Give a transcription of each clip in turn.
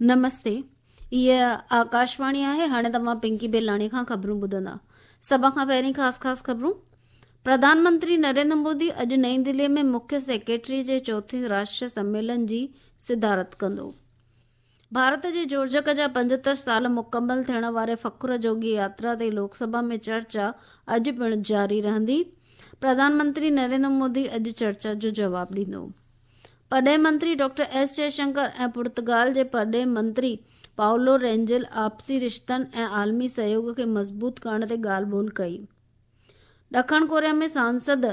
نمستي هيء آڪاشواڻي آهي هاڻي توهان پنڪي بيلاڻي کان خبرون ٻڌندا سڀ کان پهرين خاص خاص خبرون پرڌان منتري نريندر مودي اڄ نئين دلي ۾ مکيه سيڪريٽري جي چوٿين راشٽريه سميلن جي صدارت ڪندو ڀارت جي جوڙجڪ جا 75 سال مڪمل ٿيڻ واري فخر جوڳي ياترا تي لوڪ سڀا ۾ چرچا اڄ پڻ جاري رهندي پرڌان منتري نريندر مودي اڄ چرچا جو جواب ڏيندو پرڏيهي منتري ڊاڪٽر ايس جئشنڪر ۽ پرتگال جي پرڏيهي منتري پائولو رينجل آپسي رشتن ۽ عالمي سهيوڳ کي مضبوط ڪرڻ تي ڳالهه ٻولهه ڪئي. ڏکڻ ڪوريا ۾ سانسد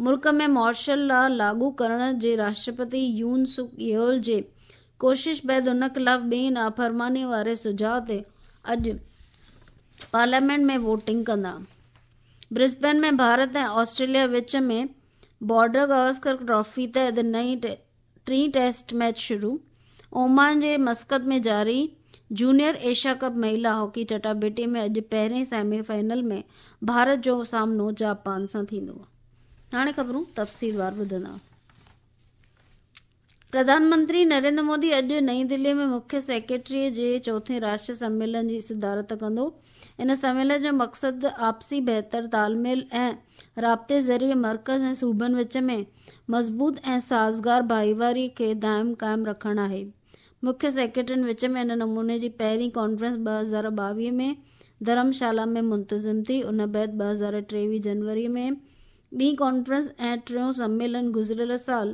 ملڪ ۾ مارشل لا لاڳو ڪرڻ جي راشٽرپتي يون سڪ يول جي ڪوشش بعد ان خلاف ٻئي نافرماني واري سجهاء تي اڄ پارليامينٽ ۾ ووٽنگ ڪندا. برسبين ۾ ڀارت ۽ آسٽريليا وچ ۾ بارڊر گواسڪر ٽرافي تحت نئين ٽين ٽيسٽ ميچ شروع، اومان جي مسقط ۾ جاري جونيئر ايشيا ڪپ مهيلا هاڪي چٽاڀيٽي ۾ اڄ پهرين سيمي فائنل ۾ ڀارت جو سامنو جاپان سان ٿيندو. هاڻي خبرون تفصيلوار ٻڌندا. پرڌان منتري نريندر مودي اڄ نئين دلي ۾ مکيه سيڪريٽري جي چوٿين راشٽريه سميلن جي صدارت ڪندو. ان سميلن جو مقصد آپسي بهتر تال ميل ۽ رابطي ذريعي مرڪز ۽ صوبن وچ ۾ مضبوط ۽ سازگار ڀائيواري کي دائم قائم رکڻ آهي. مکيه سيڪريٽرين وچ ۾ ان نموني جي پهرين ڪانفرنس 2022 ۾ ڌرم شالا ۾ منتظم ٿي. ان بعد 2023 جنوري ۾ ٻي ڪانفرنس ۽ ٽيون سميلن گذريل سال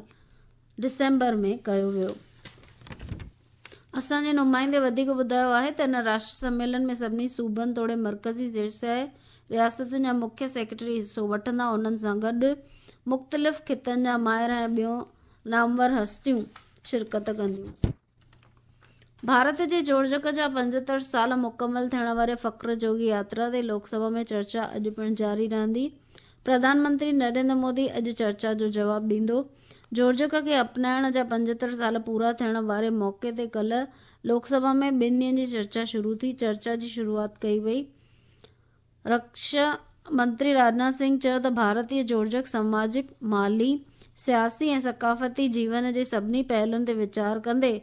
ڊسمبر ۾ ڪيو ويو. اسان جي نمائندي وڌيڪ ٻڌايو آهي ته ان راشٽر سميلن ۾ سڀني صوبن توڙي مرڪزي زيرسياح رياستن جا مکيه سيڪريٽري حصو وٺندا انهن سان گڏ مختلف خطن جا ماهر ۽ ٻيون نامور هستيون شرڪت ڪنديون. ڀارت جي جوڙجڪ جا 75 سال مڪمل ٿيڻ واري فخر جوڳي ياترا تي لوڪ سڀا ۾ چرچا اڄ پڻ جاري رهندي. پرڌان منتري نريندر مودي اڄ چرچا جو جواب ڏيندو. جوڙجڪ کي اپنائڻ جا 75 سال پورا ٿيڻ واري موقعي تي ڪلهه لوڪ سڀا ۾ ٻن ڏينهن جي چرچا شروع ٿي. چرچا جي شروعات ڪئي وئي. رڪشا منتري راجناٿ سنگهه چيو ته ڀارتي جوڙجڪ سماجڪ، مالي، سياسي ۽ ثقافتي جيون جي سڀني پهلن تي ويچار ڪندي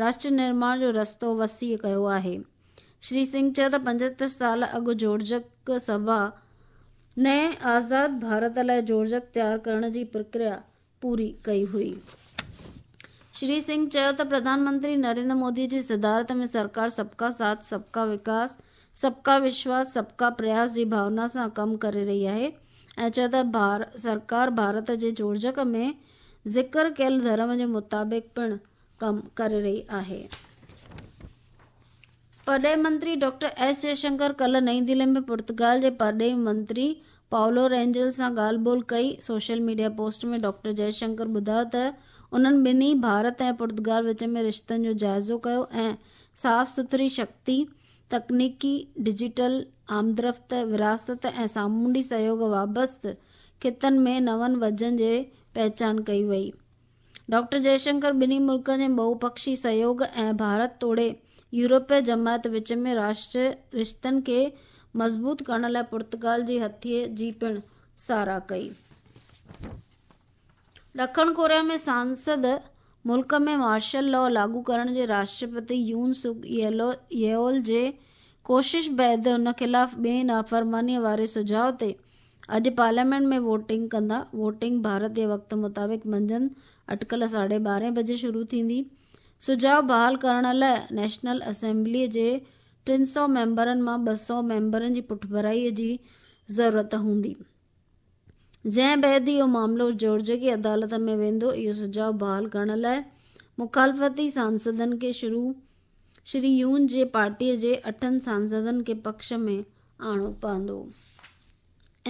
راشٽر نرماڻ جو رستو وسيع ڪيو آهي. شري سنگهه چيو ته 75 سال اڳ جوڙجڪ سڀا نئين آزاد ڀارت لاء جوڙجڪ تيار ڪرڻ جي پرڪريا پوري ڪئي هئي. شري سنگهه چيو ته پرڌان منتري نريندر مودي جي صدارت ۾ سرڪار سب ڪا ساٿ، سب ڪا وڪاس، سب ڪا وشواس، سب ڪا پرياس جي ڀاونا سان ڪم ڪري رهي آهي ۽ چيو ته سرڪار ڀارت جي جوڙجڪ ۾ ذڪر ڪيل ڌرم جي مطابق پڻ ڪم ڪري رهي آهي. پرڏيهي منتري ڊاڪٽر ايس جئشنڪر ڪلهه نئين دهلي ۾ پرتگال جي پرڏيهي منتري پائولو رينجل سان ڳالهه ٻولهه ڪئي. Social media post ۾ doctor Jaishankar ٻڌايو ته انهن ٻنهي ڀارت ۽ پرتگال وچ ۾ رشتن جو جائزو ڪيو ۽ صاف سٿري شڪتي، تڪنيڪي، ڊجيٽل آمدرفت، وراثت ۽ سامونڊي سهيوڳ وابسته خطن ۾ نون وجهن جي پهچان ڪئي وئي. ڊاڪٽر جئشنڪر ٻنهي ملڪن جي ٻهوپڪشي سهيوڳ ۽ ڀارت توڙي يورپي جماعت وچ ۾ راشٽري رشتن کي مضبوط ڪرڻ لاء پرتگال جي هٿي جي پڻ ساراهه ڪئي. ڏکڻ ڪوريا ۾ سانسد ملڪ ۾ مارشل لا لاڳو ڪرڻ جي راشٽرپتي يون سڪ يول جي ڪوشش بعد ان خلاف ٻئي نافرماني واري سجهاء تي اڄ پارليامينٽ ۾ ووٽنگ ڪندا. ووٽنگ ڀارتي وقت مطابق منجهند اٽڪل ساڍي ٻارهين بجي شروع ٿيندي. سجهاء بحال ڪرڻ لاء نيشنل اسيمبليء جي ٽن سئو ميمبرن مان ٻه سئو ميمبرن جي پٺڀرائيء جي ضرورت هوندي. جنهن بعد اهو معاملو جوڙجڪي عدالت ۾ ويندو. اهو سجهاء بحال ڪرڻ لاء مخالفتي سانسدن کي شري يون جي پارٽيء جي اٺن سانسدن کي پڪش ۾ آڻڻو پوندو.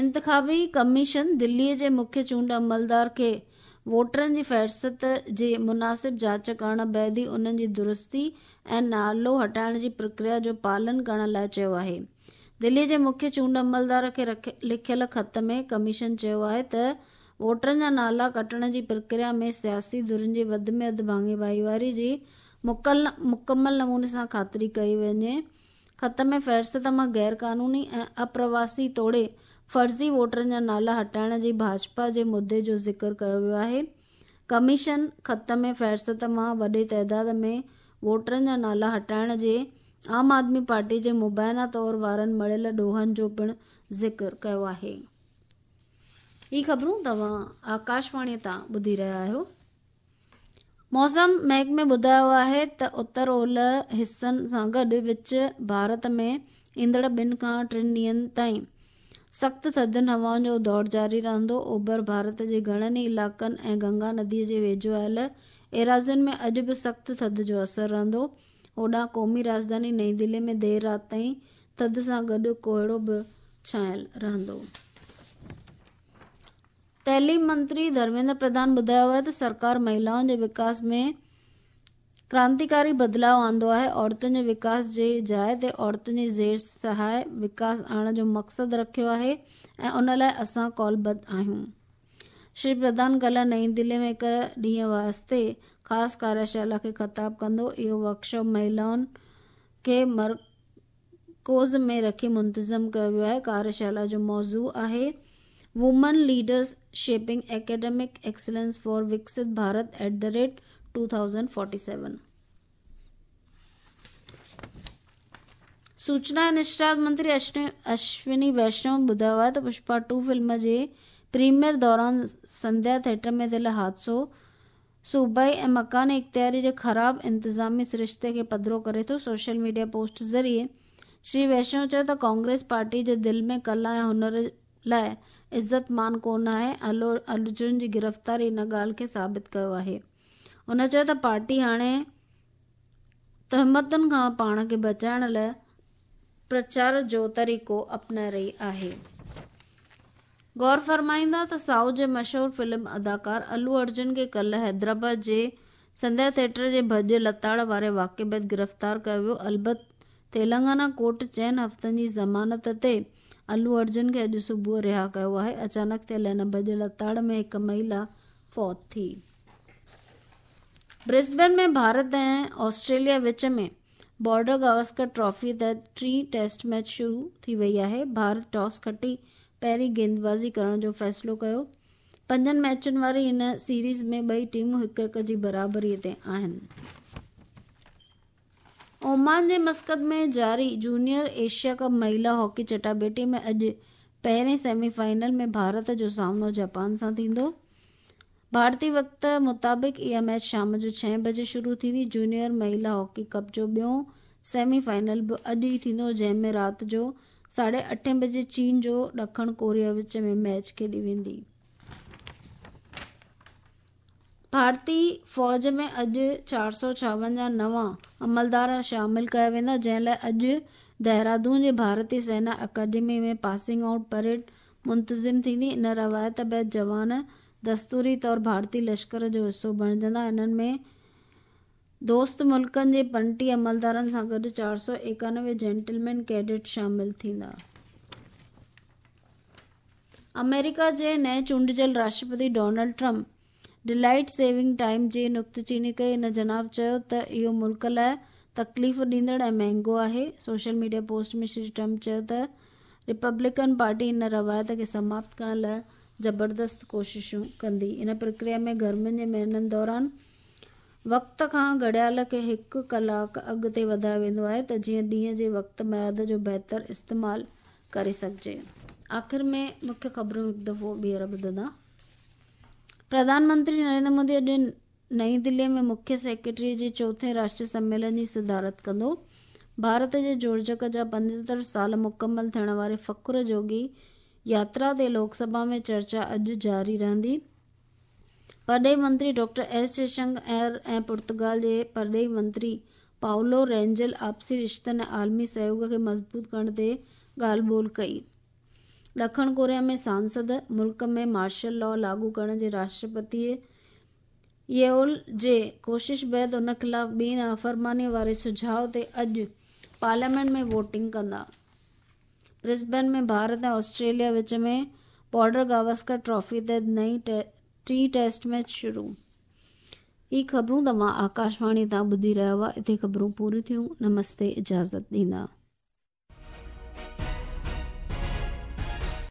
انتخابي ڪميشن دلي جي مکيه چونڊ عملدار کي ووٽرن جي فهرست جي مناسب جاچ ڪرڻ بعد ئي انهن جي درستي ۽ نالو هٽائڻ جي پرڪريا جو پالن ڪرڻ لاء چيو آهي. دلي جي مکيه چونڊ عملدار کي لکيل خط ۾ ڪميشن چيو آهي ته ووٽرن جا نالا ڪٽڻ جي پرڪريا ۾ سياسي ڌرين جي وڌ ۾ وڌ ڀاڱي ڀائيواري جي مڪمل نموني سان خاطري ڪئي وڃي. خط ۾ فهرست مان غيرقانوني ۽ اپرواسي توڙي فرضي ووٽرن جا نالا هٽائڻ جي ڀاجپا جي مدعي جو ذڪر ڪيو ويو آهي. ڪميشن خط ۾ فهرست مان وڏي تعداد ۾ ووٽرن جا نالا هٽائڻ جي عام آدمي پارٽي جي مبينا طور وارن مڙهيل ڏوهن جو پڻ ذڪر ڪيو آهي. هي خبرون توهان آڪاشواڻي تان ٻڌي رهيا آهيو. موسم محڪمي ٻڌايو آهي ته اتر اولهه حصن سان گڏ وچ ڀارت ۾ ايندڙ ٻن کان ٽن ڏينهن تائين سخت ٿڌين هوائن جو دور جاري رهندو. اوڀر ڀارت جي گهڻن ئي علائقن ۽ گنگا ندي جي ويجهو آيل ايراضين ۾ اڄ به سخت ٿڌ جو اثر رهندو. هوڏانهن قومي راڄڌاني نئين دهلي ۾ دير رات تائين ٿڌ سان گڏ ڪوهيڙو به ڇانيل رهندو. تعليم منتري ڌرميندر پرڌان ٻڌايو آهي ته سرڪار مهلائن جي وڪاس ۾ ڪرانتيڪاري بدلاء آندو آهي، عورتن جي وڪاس جي جاء تي عورتن جي زير سهائي وڪاس آڻڻ جو مقصد رکيو آهي ۽ ان لاء اسان قولبڌ آهيون. شري پرڌان ڪالهه نئين دهلي ۾ هڪ ڏينهن واسطي خاص ڪاريشالا کي خطاب ڪندو. اهو ورڪشاپ مهلائن کي مرڪوز ۾ رکي منتظم ڪيو ويو آهي. ڪاريشالا جو موضوع آهي women leaders shaping academic excellence for Viksit Bharat at the rate 2047. سوچنا ۽ نشريات منتري اشوني ويشنو ٻڌايو آهي ته پشپا ٽو فلم جي پريميئر دوران سنڌيا ٿيٽر ۾ ٿيل حادثو صوبائي ۽ مڪاني اختياري جي خراب انتظامي سرشتي کي پڌرو ڪري ٿو. سوشل ميڊيا پوسٽ ذريعي شري ويشنو چيو ته ڪانگريس پارٽي جي دل ۾ ڪلا ۽ هنر لاء عزت مان ڪونه آهي، الو ارجن جي گرفتاري ان ڳالهه کي ثابت ڪيو آهي. هن چيو ته پارٽي هاڻي تهمتن کان پاڻ کي بچائڻ لاء پرچار جو طريقو اپنائي رهي آهي. غور فرمائيندا ته سائوٿ جي مشهور فلم اداڪار الو ارجن کي ڪلهه حيدرآباد جي سنڌيا ٿيٽر جي ڀڄ لتاڙ واري واقعي بعد گرفتار ڪيو ويو. البت تيلنگانا ڪورٽ چئن هفتن جي ضمانت تي الو ارجن کي اڄ صبح رها ڪيو آهي. اچانڪ ٿيل هن ڀڄ لتاڙ ۾ هڪ مهيلا فوت ٿي. برسبين ۾ ڀارت ۽ آسٽريليا وچ ۾ بارڊر گواسڪر ٽرافي تحت ٽين ٽيسٽ ميچ شروع ٿي وئي آهي. ڀارت ٽاس کٽي پهرين گيندبازي ڪرڻ جو فيصلو ڪيو. پنجن ميچن واري هن سيريز ۾ ٻئي ٽيمون هڪ هڪ جي برابري تي آهن. اومان جي مسقط ۾ جاري جونيئر ايشيا ڪپ مهيلا هاڪي چٽاڀيٽي ۾ اڄ پهرين سيمي فائنل ۾ ڀارت جو سامنو جاپان سان ٿيندو. ڀارتي وقت مطابق اها ميچ شام جو ڇهين بجي شروع ٿيندي. جونيئر مهيلا هاڪي ڪپ جو ٻيون سيمي فائنل به اڄ ئي ٿيندو جنهن ۾ رات جو ساڍي اٺين بجي چين جو ڏکڻ ڪوريا وچ ۾ ميچ کيڏي ويندي. ڀارتي فوج ۾ اڄ 456 نوان عملدار شامل ڪيا ويندا جنهن لاء اڄ دهرادون جي ڀارتي سينا اڪيڊمي ۾ پاسنگ آئوٽ پريڊ منتظم ٿيندي. ان روايت بعد جوان دستوري طور ڀارتي لشڪر جو حصو بڻجندا. انهن ۾ دوست ملڪن جي 35 عملدارن سان گڏ 491 جينٽلمين ڪيڊٽ شامل ٿيندا. آمريڪا جي نئين چونڊجل Rashtrapati Donald Trump daylight saving time جي نڪتچيني ڪئي. هن جناب چيو ته اهو ملڪ لاء تڪليف ڏيندڙ ۽ مهنگو آهي. Social media post ۾ Shri Trump چيو ته ريپبلڪن پارٽي ان روايت کي سماپت ڪرڻ لاء زبردست ڪوششون ڪندي. ان پرڪريا ۾ گرمين جي مهينن دوران وقت کان گهڙيال کي هڪ ڪلاڪ اڳتي وڌايو ويندو آهي ته جيئن ڏينهن جي وقت ميعاد جو بهتر استعمال ڪري سگهجي. آخر ۾ مکيه خبرون هڪ دفعو ٻيهر ٻڌندا. پرڌان منتري نريندر مودي اڄ نئين دهلي ۾ مکيه سيڪريٽري جي چوٿين راشٽري سميلن جي صدارت ڪندو. ڀارت جي جوڙجڪ جا 75 سال مڪمل ٿيڻ واري فخر جوڳي ياترا تي لوڪ سڀا ۾ چرچا اڄ جاري رهندي. پرڏيهي منتري ڊاڪٽر ايس جئشنڪر ۽ پرتگال جي پرڏيهي منتري پائولو رينجل آپسي رشتن ۽ عالمي سهيوڳ کي مضبوط ڪرڻ تي ڳالهه ٻولهه ڪئي. ڏکڻ ڪوريا ۾ سانسد ملڪ ۾ مارشل لا لاڳو ڪرڻ جي راشٽرپتي ييول جي ڪوشش بعد ان خلاف ٻي نافرماني واري سجهاء تي اڄ پارليامينٽ ۾ ووٽنگ ڪندا. برسبين ۾ ڀارت ۽ آسٽريليا وچ ۾ بارڊر گواسڪر ٽرافي تحت نئين ٽين ٽيسٽ ميچ شروع. هي خبرون توهان آڪاشواڻي تان ٻڌي رهيا هئا. اتي خبرون پوريون ٿيون. نمستي اجازت ڏيندا.